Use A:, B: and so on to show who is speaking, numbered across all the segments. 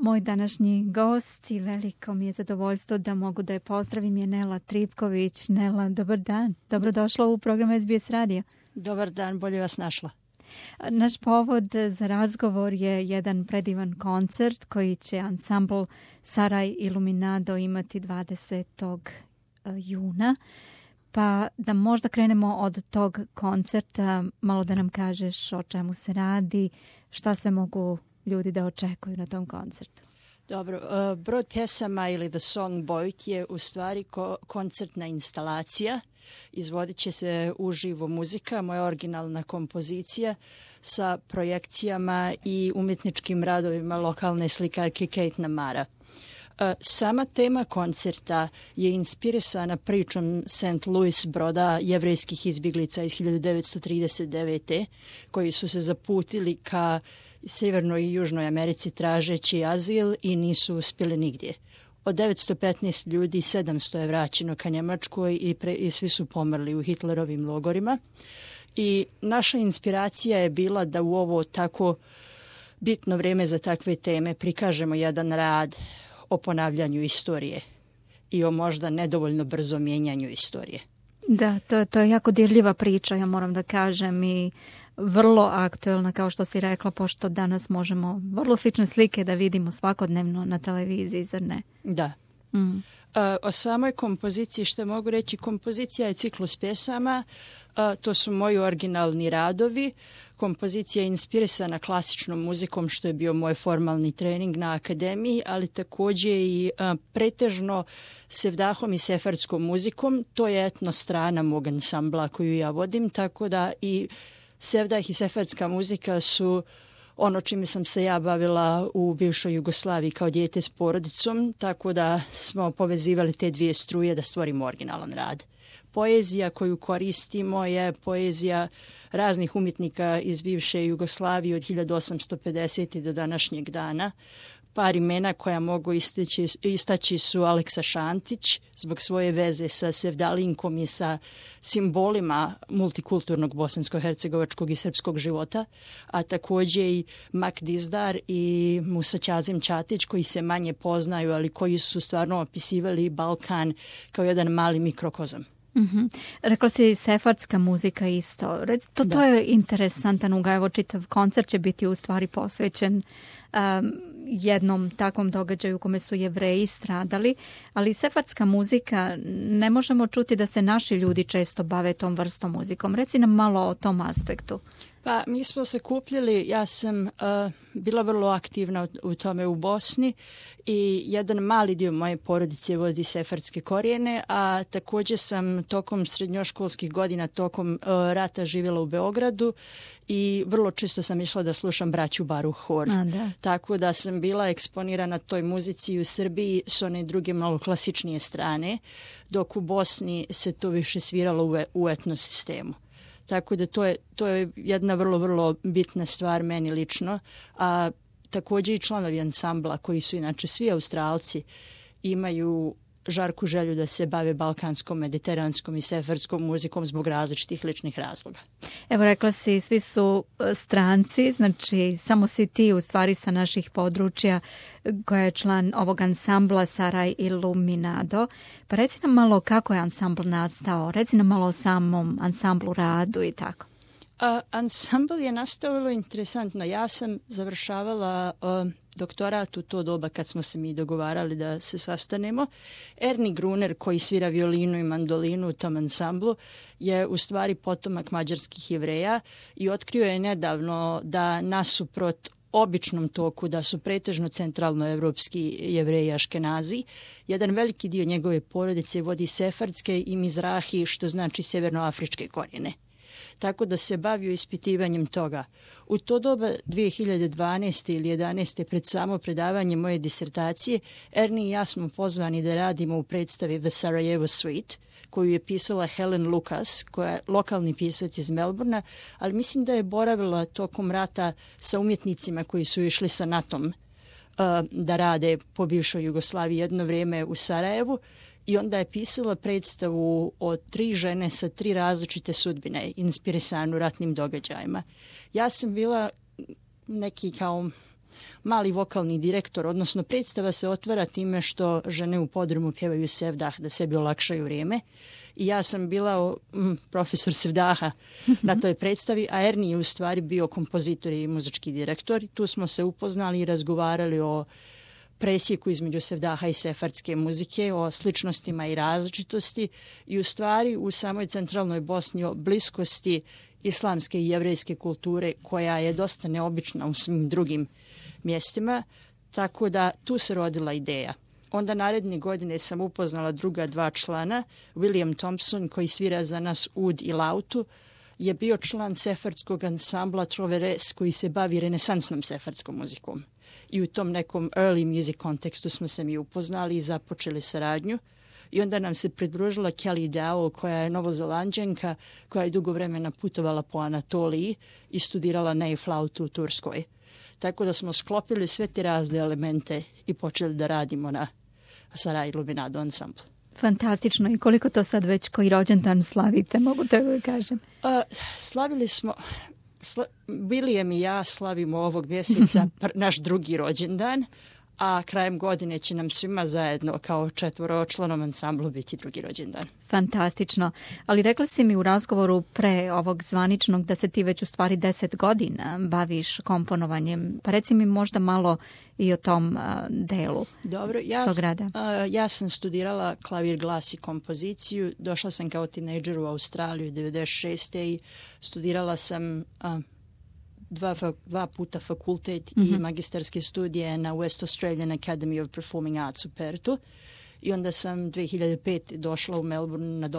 A: Moj današnji gost i veliko mi je zadovoljstvo da mogu da je pozdravim je Nela Tripković. Nela, dobar dan. Dobrodošla u program SBS Radio.
B: Dobar dan, bolje vas našla.
A: Naš povod za razgovor je jedan predivan koncert koji će ansambl Saraj Iluminado imati 20. juna. Pa da možda krenemo od tog koncerta, malo da nam kažeš o čemu se radi, šta sve mogu ljudi da očekuju na tom koncertu.
B: Dobro, brod pjesama ili The Song Boat je u stvari koncertna instalacija. Izvodit će se uživo muzika, moja originalna kompozicija sa projekcijama i umjetničkim radovima lokalne slikarke Kate Namara. Sama tema koncerta je inspirisana pričom St. Louis broda jevrejskih izbjeglica iz 1939. koji su se zaputili ka Sjevernoj i Južnoj Americi tražeći azil i nisu uspjeli nigdje. Od 915 ljudi 700 je vraćeno ka Njemačkoj i svi su pomrli u Hitlerovim logorima. I naša inspiracija je bila da u ovo tako bitno vrijeme za takve teme prikažemo jedan rad o ponavljanju istorije i o možda nedovoljno brzo mijenjanju istorije.
A: Da, to je jako dirljiva priča, ja moram da kažem, i vrlo aktuelna, kao što si rekla, pošto danas možemo vrlo slične slike da vidimo svakodnevno na televiziji, zar ne?
B: Da. O samoj kompoziciji što mogu reći, kompozicija je ciklus pjesama, to su moji originalni radovi. Kompozicija je inspirisana klasičnom muzikom, što je bio moj formalni trening na akademiji, ali također i pretežno sevdahom i sefardskom muzikom. To je etno strana mog ansambla koju ja vodim, tako da i sevdah i sefardska muzika su ono čime sam se ja bavila u bivšoj Jugoslaviji kao dijete s porodicom, tako da smo povezivali te dvije struje da stvorimo originalan rad. Poezija koju koristimo je poezija raznih umjetnika iz bivše Jugoslavije od 1850. do današnjeg dana. Par imena koja mogu istaći su Aleksa Šantić zbog svoje veze sa Sevdalinkom i sa simbolima multikulturnog bosansko-hercegovačkog i srpskog života, a također i Mak Dizdar i Musa Ćazim Ćatić koji se manje poznaju, ali koji su stvarno opisivali Balkan kao jedan mali mikrokozam.
A: Mm-hmm. Rekla si sefardska muzika isto. To je interesantan ugaj. Evo čitav koncert će biti u stvari posvećen jednom takvom događaju u kome su Jevreji stradali, ali sefardska muzika ne možemo čuti da se naši ljudi često bave tom vrstom muzikom. Reci nam malo o tom aspektu.
B: Pa mi smo se kupljili, ja sam bila vrlo aktivna u tome u Bosni i jedan mali dio moje porodice vodi sefardske korijene, a također sam tokom srednjoškolskih godina, tokom rata živjela u Beogradu i vrlo često sam išla da slušam braću Baruch Hor. Tako da sam bila eksponirana toj muzici u Srbiji s one druge malo klasičnije strane, dok u Bosni se to više sviralo u etnosistemu. Tako da to je jedna vrlo, vrlo bitna stvar meni lično, a također i članovi ansambla koji su inače svi Australci imaju žarku želju da se bave balkanskom, mediteranskom i sefardskom muzikom zbog različitih ličnih razloga.
A: Evo rekla si, svi su stranci, znači samo si ti u stvari sa naših područja koja je član ovog ansambla Saraj Iluminado. Pa reci nam malo kako je ansambl nastao, reci nam malo o samom ansamblu radu i tako.
B: Ansambl je nastao vrlo interesantno. Ja sam završavala doktorat u to doba kad smo se mi dogovarali da se sastanemo. Ernie Gruner koji svira violinu i mandolinu u tom ansamblu je u stvari potomak mađarskih Jevreja i otkrio je nedavno da nasuprot običnom toku da su pretežno centralnoevropski Jevreji Aškenazi. Jedan veliki dio njegove porodice vodi sefardske i mizrahi, što znači sjevernoafričke korijene. Tako da se bavio ispitivanjem toga. U to doba 2012. ili 2011. pred samo predavanje moje disertacije, Ernie i ja smo pozvani da radimo u predstavi The Sarajevo Suite, koju je pisala Helen Lucas, koja je lokalni pisac iz Melbourna, ali mislim da je boravila tokom rata sa umjetnicima koji su išli sa NATO-om da rade po bivšoj Jugoslaviji jedno vrijeme u Sarajevu. I onda je pisala predstavu o 3 žene sa 3 različite sudbine, inspirisanu ratnim događajima. Ja sam bila neki kao mali vokalni direktor, odnosno predstava se otvara time što žene u podrumu pjevaju Sevdah da sebi olakšaju vrijeme. I ja sam bila profesor Sevdaha na toj predstavi, a Ernie je u stvari bio kompozitor i muzički direktor. Tu smo se upoznali i razgovarali o presjeku između Sevdaha i sefardske muzike, o sličnostima i različitosti i u stvari u samoj centralnoj Bosni o bliskosti islamske i jevrejske kulture koja je dosta neobična u svim drugim mjestima, tako da tu se rodila ideja. Onda naredne godine sam upoznala druga dva člana. William Thompson, koji svira za nas ud i lautu, je bio član sefardskog ansambla Troveres koji se bavi renesansnom sefardskom muzikom. I u tom nekom early music kontekstu smo se mi upoznali i započeli saradnju. I onda nam se pridružila Kelly Dow, koja je novozelanđanka, koja je dugo vremena putovala po Anatoliji i studirala ney flautu u Turskoj. Tako da smo sklopili sve te razne elemente i počeli da radimo na Saraj Iluminado ansamblu.
A: Fantastično. I koliko to sad već koji rođendan slavite, mogu te kažem?
B: Slavili smo... William i ja slavimo ovog mjeseca naš drugi rođendan, a krajem godine će nam svima zajedno kao četvoročlanom ansamblu biti drugi rođendan.
A: Fantastično. Ali rekla si mi u razgovoru pre ovog zvaničnog da se ti već u stvari 10 godina baviš komponovanjem. Pa reci mi možda malo i o tom delu.
B: Dobro, ja sam studirala klavir, glas i kompoziciju. Došla sam kao tinejdžer u Australiju 96. i studirala sam dva puta fakultet i magistarske studije na West Australian Academy of Performing Arts u Perthu. I onda sam 2005. došla u Melbourne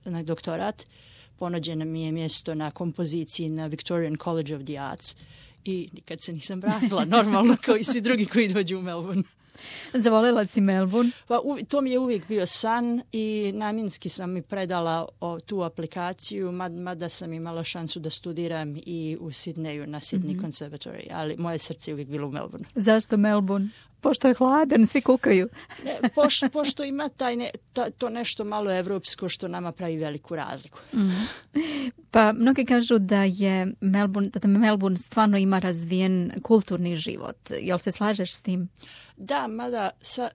B: na doktorat. Ponuđeno mi je mjesto na kompoziciji na Victorian College of the Arts i nikad se nisam vratila, normalno kao i svi drugi koji dođu u Melbourne.
A: Zavoljela si Melbourne?
B: Pa, to mi je uvijek bio san i namjenski sam mi predala tu aplikaciju, mada sam imala šansu da studiram i u Sidneju na Sydney Conservatory, ali moje srce je uvijek bilo u Melbourne.
A: Zašto Melbourne? Pošto je hladan, svi kukaju.
B: Pošto ima to nešto malo evropsko što nama pravi veliku razliku.
A: Pa mnogi kažu da Melbourne stvarno ima razvijen kulturni život. Jel se slažeš s tim?
B: Da, mada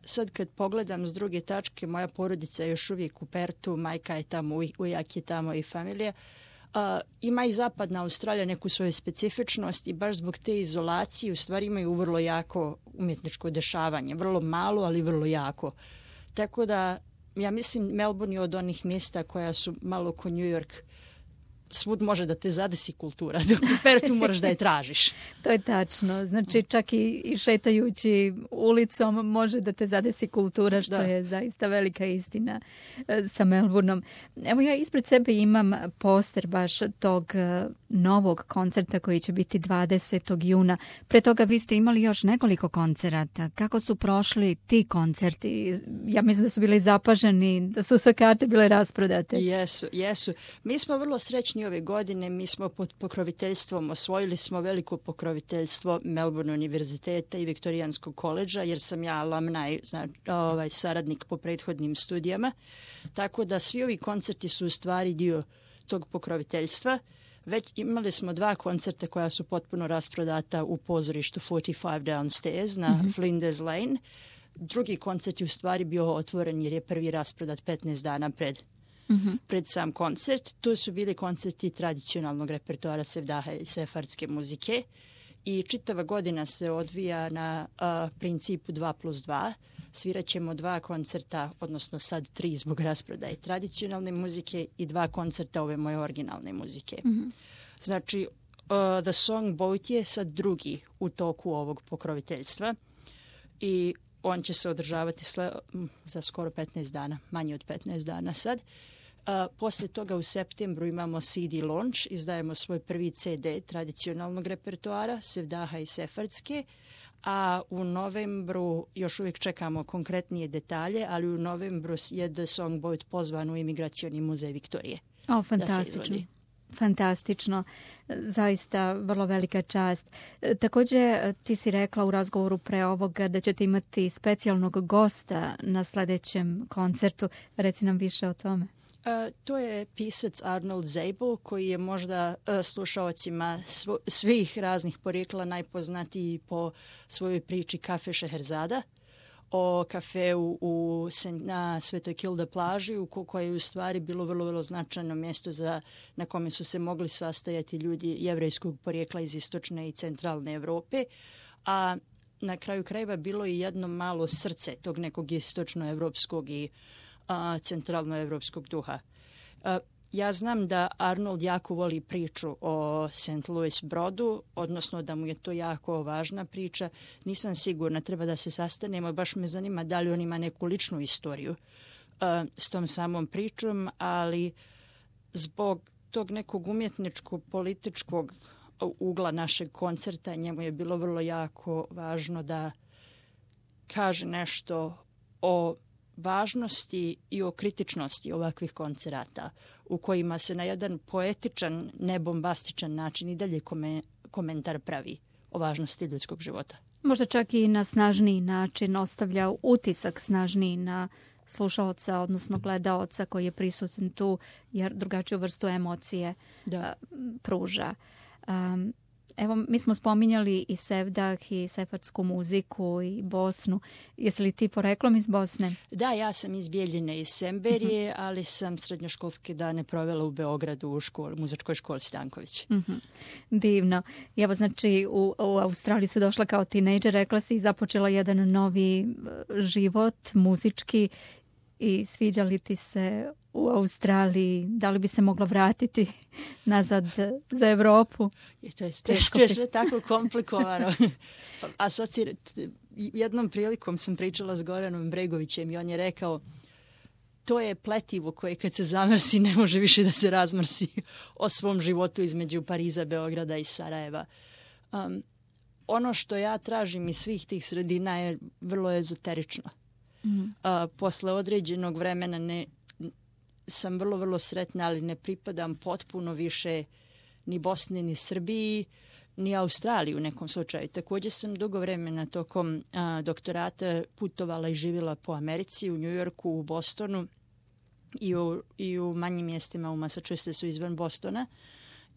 B: sad kad pogledam s druge tačke, moja porodica je još uvijek u Perthu, majka je tamo, ujak je tamo i familija. Ima i zapadna Australija neku svoju specifičnost i baš zbog te izolacije u stvari imaju vrlo jako umjetničko dešavanje. Vrlo malo, ali vrlo jako. Tako da, ja mislim, Melbourne je od onih mjesta koja su malo ko New York. Svud može da te zadesi kultura, dok u Perthu moraš da je tražiš.
A: To je tačno. Znači čak i šetajući ulicom može da te zadesi kultura, što je zaista velika istina sa Melbourneom. Evo ja ispred sebe imam poster baš tog novog koncerta koji će biti 20. juna. Pre toga vi ste imali još nekoliko koncerata. Kako su prošli ti koncerti? Ja mislim da su bili zapaženi, da su sve karte bile rasprodate.
B: Jesu. Mi smo vrlo srećni ove godine. Mi smo pod pokroviteljstvom, osvojili smo veliko pokroviteljstvo Melbourne univerziteta i Viktorijanskog koledža, jer sam ja alumni, saradnik po prethodnim studijama. Tako da svi ovi koncerti su u stvari dio tog pokroviteljstva. Već imali smo 2 koncerta koja su potpuno rasprodata u pozorištu 45 Downstairs na Flinders Lane. Drugi koncert je u stvari bio otvoren jer je prvi rasprodat 15 dana pred sam koncert. Tu su bili koncerti tradicionalnog repertoara Sevdaha i sefardske muzike i čitava godina se odvija na principu 2+2. Svirat ćemo 2 koncerta, odnosno sad 3 zbog rasprodaje tradicionalne muzike i 2 koncerta ove moje originalne muzike. Znači, The Song Boat je sad drugi u toku ovog pokroviteljstva i on će se održavati za skoro 15 dana, manje od 15 dana sad. Poslije toga u septembru imamo CD launch, izdajemo svoj prvi CD tradicionalnog repertoara, Sevdaha i sefardske, a u novembru, još uvijek čekamo konkretnije detalje, ali u novembru je The Song Boat pozvan u Imigracioni muzej Viktorije.
A: Fantastično. Fantastično, zaista vrlo velika čast. Također ti si rekla u razgovoru pre ovoga da ćete imati specijalnog gosta na sljedećem koncertu. Reci nam više o tome.
B: To je pisac Arnold Zabel, koji je možda slušaocima svih raznih porijekla najpoznatiji po svojoj priči Kafe Šeherzada, o kafeu na Svetoj Kilda plaži, koje je u stvari bilo vrlo, vrlo značajno mjesto na kome su se mogli sastajati ljudi jevrejskog porijekla iz istočne i centralne Europe, a na kraju krajeva bilo je jedno malo srce tog nekog istočnoevropskog i centralnoevropskog duha. Ja znam da Arnold jako voli priču o St. Louis brodu, odnosno da mu je to jako važna priča. Nisam sigurna, treba da se sastanemo. Baš me zanima da li on ima neku ličnu istoriju s tom samom pričom, ali zbog tog nekog umjetničko-političkog ugla našeg koncerta njemu je bilo vrlo jako važno da kaže nešto o važnosti i o kritičnosti ovakvih koncerata u kojima se na jedan poetičan, nebombastičan način i dalje komentar pravi o važnosti ljudskog života.
A: Možda čak i na snažniji način ostavlja utisak snažniji na slušaoca, odnosno gledaoca koji je prisutan tu, jer drugačiju vrstu emocije pruža. Evo, mi smo spominjali i Sevdah i sefardsku muziku i Bosnu. Jesi li ti poreklom iz Bosne?
B: Da, ja sam iz Bijeljine, iz Semberije, ali sam srednjoškolske dane provela u Beogradu u muzičkoj školi Stanković.
A: Divno. I evo, znači, u Australiji si došla kao tinejdžer, rekla si, i započela jedan novi život muzički. I sviđa li ti se u Australiji? Da li bi se moglo vratiti nazad za Evropu?
B: To je sve tako komplikovano. Jednom prilikom sam pričala s Goranom Bregovićem i on je rekao, to je pletivo koje kad se zamrsi ne može više da se razmrsi o svom životu između Pariza, Beograda i Sarajeva. Ono što ja tražim iz svih tih sredina je vrlo ezoterično. Posle određenog vremena sam vrlo, vrlo sretna, ali ne pripadam potpuno više ni Bosni, ni Srbiji, ni Australiji u nekom slučaju. Također sam dugo vremena tokom doktorata putovala i živjela po Americi, u New Yorku, u Bostonu i u manjim mjestima u Massachusettsu izvan Bostona.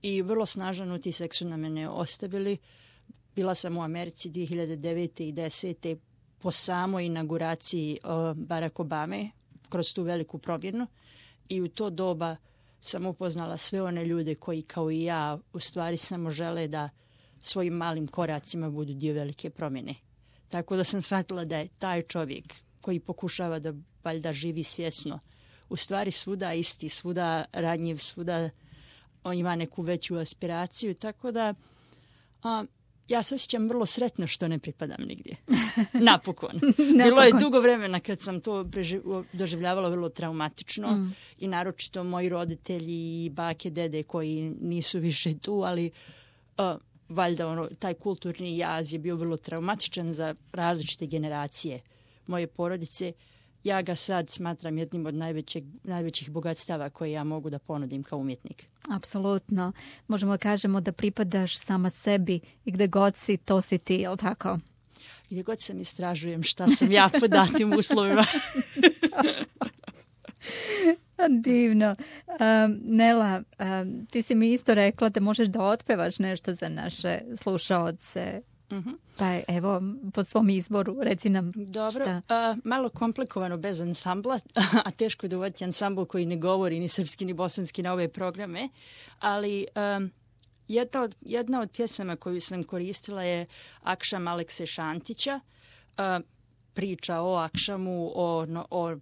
B: I vrlo snažan utisak su na mene ostavili. Bila sam u Americi 2009. i 2010. po samoj inauguraciji Barack Obame kroz tu veliku promjenu i u to doba sam upoznala sve one ljude koji kao i ja u stvari samo žele da svojim malim koracima budu dio velike promjene. Tako da sam shvatila da je taj čovjek koji pokušava da valjda živi svjesno u stvari svuda isti, svuda ranjiv, svuda on ima neku veću aspiraciju, tako da ja se osjećam vrlo sretno što ne pripadam nigdje. Napokon. Bilo je dugo vremena kad sam to doživljavala vrlo traumatično i naročito moji roditelji i bake, dede koji nisu više tu, ali valjda taj kulturni jaz je bio vrlo traumatičan za različite generacije moje porodice. Ja ga sad smatram jednim od najvećih bogatstava koje ja mogu da ponudim kao umjetnik.
A: Apsolutno. Možemo da kažemo da pripadaš sama sebi i gde god si, to si ti, je li tako?
B: Gdje god sam istražujem šta sam ja po datim uslovima.
A: Divno. Nela, ti si mi isto rekla da možeš da otpevaš nešto za naše slušaoce. Pa evo, po svom izboru, reci nam.
B: Dobro,
A: šta.
B: Malo komplikovano bez ansambla, a teško je dovoditi ansambl koji ne govori ni srpski ni bosanski na ove programe, ali jedna od pjesama koju sam koristila je Akšam Alekse Šantića, priča o Akšamu, o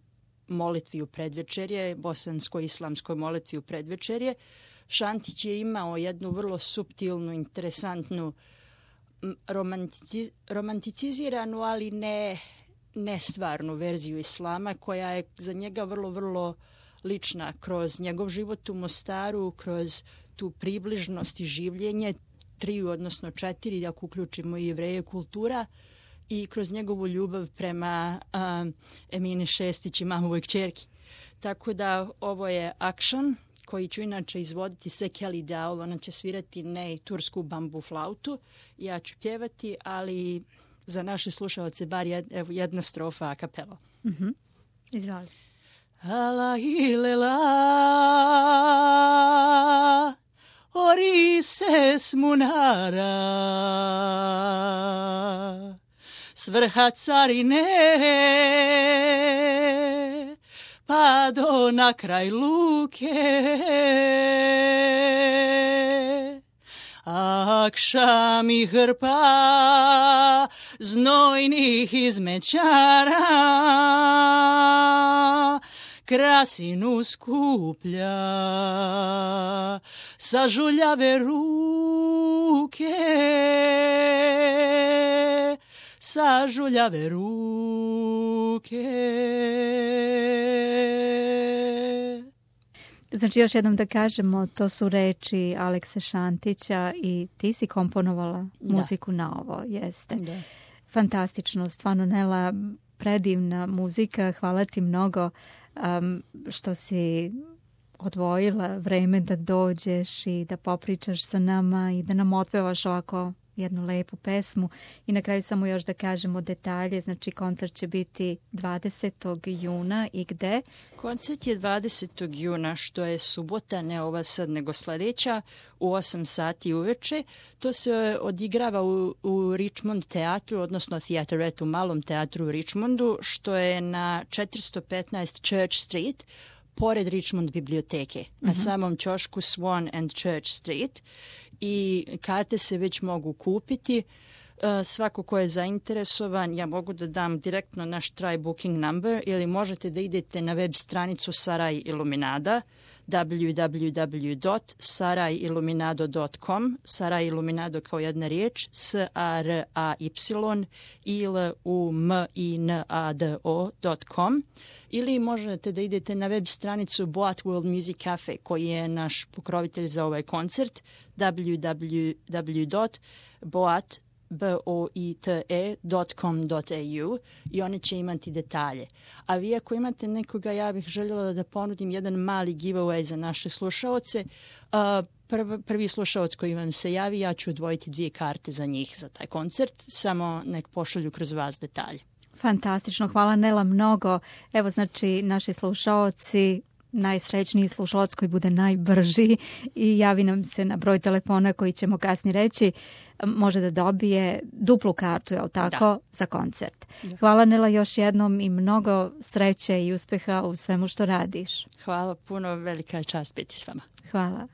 B: molitvi u predvečerje, bosansko-islamskoj molitvi u predvečerje. Šantić je imao jednu vrlo suptilnu, interesantnu, romanticiziranu, ali ne stvarnu verziju islama, koja je za njega vrlo, vrlo lična kroz njegov život u Mostaru, kroz tu približnost i življenje 3, odnosno 4, ako uključimo i Jevreje, kultura, i kroz njegovu ljubav prema Emine Šestić i mamovoj kćerki. Tako da ovo je Akšan, koji ću inače izvoditi Sekeli Daul, ona će svirati tursku bambu flautu, ja ću pjevati, ali za naše slušalce bar jedna strofa a kapela.
A: Izvali.
B: ala ilela orises munara s vrha carine pa do na kraj luke akšam i hrpa znojnih izmećara krasinu skuplja sa žuljave ruke, sa žuljave ruke.
A: Znači, još jednom da kažemo, to su reči Alekse Šantića i ti si komponovala muziku na ovo, jeste.
B: Da.
A: Fantastično, stvarno, Nela, predivna muzika, hvala ti mnogo što si odvojila vreme da dođeš i da popričaš sa nama i da nam otpevaš ovako jednu lepu pesmu. I na kraju samo još da kažemo detalje, znači koncert će biti 20. juna i gde?
B: Koncert je 20. juna, što je subota, ne ova sad nego sledeća, u 8 sati uveče. To se odigrava u Richmond teatru, odnosno Theateretu, malom teatru u Richmondu, što je na 415 Church Street, pored Richmond biblioteke, na samom ćošku Swan and Church Street. I karte se već mogu kupiti. Svako ko je zainteresovan, ja mogu da dam direktno naš try booking number ili možete da idete na web stranicu Saraj Iluminada www.sarajilluminado.com. Saraj Iluminado kao jedna riječ, SARAYILUMINADO.com, ili možete da idete na web stranicu Boat World Music Cafe, koji je naš pokrovitelj za ovaj koncert, www.boate.com.au, i oni će imati detalje. A vi ako imate nekoga, ja bih željela da ponudim jedan mali giveaway za naše slušaoce. Prvi slušaoc koji vam se javi, ja ću odvojiti 2 karte za njih za taj koncert, samo nek pošalju kroz vas detalje.
A: Fantastično, hvala Nela mnogo. Evo, znači, naši slušaoci, najsrećniji slušalac koji bude najbrži i javi nam se na broj telefona koji ćemo kasnije reći, može da dobije duplu kartu, je li tako, za koncert. Da. Hvala Nela još jednom i mnogo sreće i uspeha u svemu što radiš.
B: Hvala puno, velika je čast biti s vama.
A: Hvala.